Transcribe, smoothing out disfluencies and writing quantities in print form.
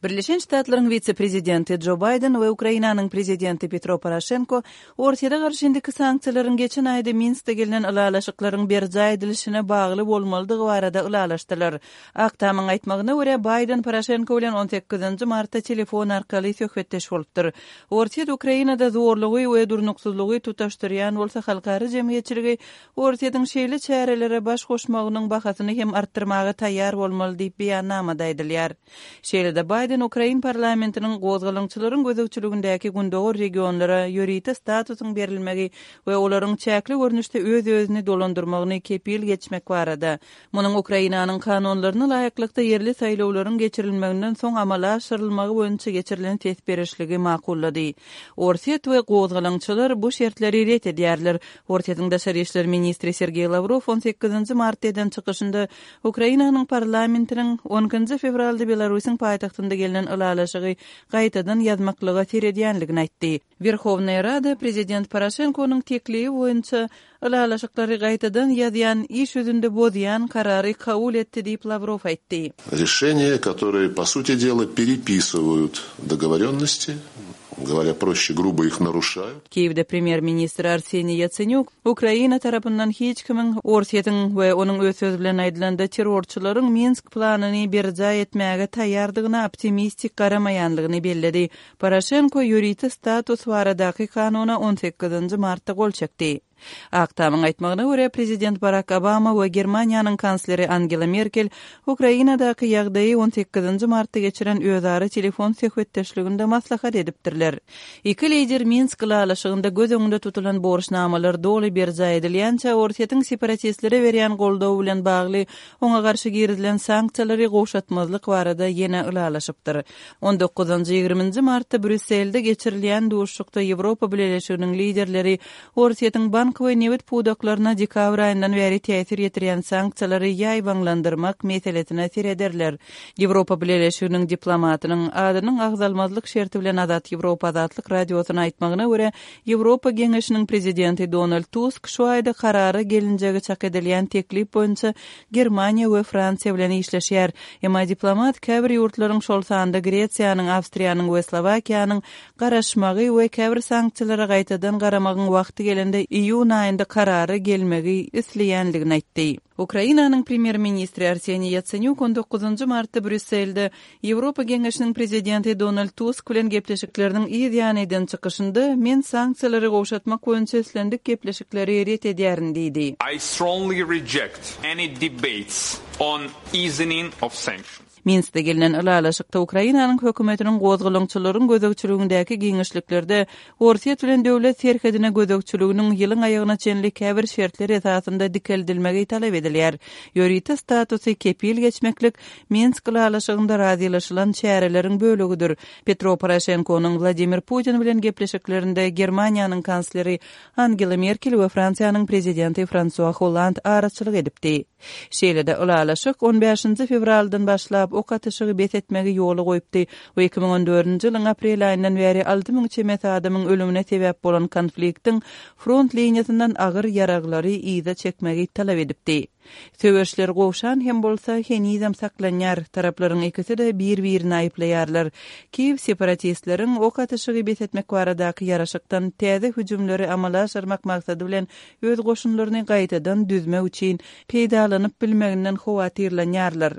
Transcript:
Birleşen Ştatlaryň wise-prezidenti Jo Baýden we Ukrainanyň prezidenti Petro Poroşenko Orsýete garşy indiki sanksiýalaryň geçen aýda Minskde gelnen ylalaşyklaryň berjaý edilişine bagly bolmalydygy barada ylalaşdylar. Ak Tamyň aýtmagyna görä, Baýden Poroşenko bilen on sekizinji martda telefon arkaly söhbetdeş bolupdyr. Orsýet Ukrainada zorlugy we durnuksyzlygy tutaşdyrýan bolsa, halkara jemgyýetçiligi Orsýetiň şeýle çärelere baş goşmagynyň bahasyny hem artdyrmaga taýýar bolmaly diýip, beýannamada aýdylýar. Şeýle-de Baýden ukrain parlamentiniň gozgalaňçylaryň gözegçiligindäki gündogar regionlara ýörite statusyň berilmegi we olaryň çäkli görnüşde öz-özüni dolandyrmagyny kepil geçmek barada, munuň Ukrainanyň kanunlaryna laýyklykda ýerli saýlawlaryň geçirilmeginden soň amala aşyrylmagy boýunça geçirilen ses berişligi makullady. Orsýet we gozgalaňçylar bu şertleri ret edýärler. Orsýetiň daşary işler ministri Sergeý Lawrow on sekizinji martda eden çykyşynda Ukrainanyň parlamentiniň on ikinji fewralda Belarusyň paýtagtynda gelnen ylalaşygy gaýtadan ýazmaklyga seredýänligini aýtdy. Werhownaýa Rada prezident Poroşenkonyň teklibi boýunça ylalaşyklary gaýtadan ýazýan, iş ýüzünde bozýan karary kabul etdi diýip, Lawrow aýtdy. Rişeniýe, kotorye, po suti dela, perepisywaýut dogovorýonnosti, Goworýa proşçe, grubo ih naruşaýut. Kiýewde premýer-ministr Arseniý Ýatsenýuk Ukraina tarapyndan hiç kimiň Orsýetiň we onuň öz sözi bilen aýdylanda terrorçylaryň Minsk planyny berjaý etmäge taýýardygyna optimistik garamaýanlygyny belledi. Poroşenko ýörite status baradaky kanuna on sekizinji martda gol çekdi. Ak Tamyň aýtmagyna görä, prezident Barak Obama we Germaniýanyň kansleri Angela Merkel Ukrainadaky ýagdaýy on sekizinji martda geçiren özara telefon söhbetdeşliginde maslahat edipdirler. Iki lider Minsk ylalaşygynda göz öňünde tutulan borçnamalar doly berjaý edilýänçä Orsýetiň separatistlere berýän goldawy bilen bagly oňa garşy girizilen sanksiýalary gowşatmazlyk barada ýene ylalaşypdyr. On dokuzynjy, ýigriminji martda Brýusselde geçirilýän duşuşykda Ýewropa Bileleşiginiň liderleri Orsýetiň bank we nebit pudaklaryna dekabr aýyndan bäri täsir ýetirýän sanksiýalary ýaýbaňlandyrmak meselesine serederler. Ýewropa Bileleşiginiň diplomatynyň, adynyň agzalmazlyk şerti bilen Azat Ýewropa Azatlyk Radiosyna aýtmagyna görä, Ýewropa Geňeşiniň prezidenti Donald Tusk şu aýda karara gelinjegi çak edilýän teklip boýunça Germaniýa we Fransiýa bilen işleşýär. Emma diplomat käbir ýurtlaryň, şol sanda Gresiýanyň, Awstriýanyň we Slowakiýanyň garaşmagy we käbir sanksiýalara gaýtadan garamagyň wagty gelende iýun aýynda karara gelmegi isleýändigini aýtdy. Ukrainanyň premýer-ministri Arseniý Ýatsenýuk on dokuzynjy martda Brýusselde Ýewropa Geňeşiniň prezidenti Donald Tusk bilen gepleşikleriniň yz ýany eden çykyşynda, Men sanksiýalary gowşatmak boýunça islendik gepleşikleri ret edýärin diýdi. I strongly reject any debates on easing of sanctions. Minskde gelnen ylalaşykda Ukrainanyň hökümetiniň gozgalaňçylaryň gözegçiligindäki giňişliklerde Orsýet bilen döwlet serhedine gözegçiliginiň ýylyň aýagyna çenli käbir şertler esasynda dikeldilmegi talap edilýär. Ýörite statusy kepil geçmeklik Minsk ylalaşygynda razylaşylan çäreleriň bölegidir. Petro Poroşenkonyň Wladimir Putin bilen gepleşiklerinde Germaniýanyň kansleri Angela Merkel we Fransiýanyň prezidenti Fransua Holland araçylyk edipdi. Şeýle-de, ylalaşyk on bäşinji fewraldan başlap ok atyşygy bes etmegi ýola goýupdy we 2014-nji ýylyň aprel aýyndan bäri 6000 çemesi adamyň ölümine sebäp bolan konfliktiň front liniýasyndan agyr ýaraglary yza çekmegi talap edipdi. Söweşler gowşan hem bolsa, henizem saklanýar, taraplaryň ikisi-de bir-birini aýyplaýarlar. Kiýew separatistleriň ok atyşygy bes etmek baradaky ýaraşykdan täze hüjümleri amala aşyrmak maksady bilen öz goşunlaryny gaýtadan düzmek üçin peýdalanyp bilmeginden howatyrlanýarlar.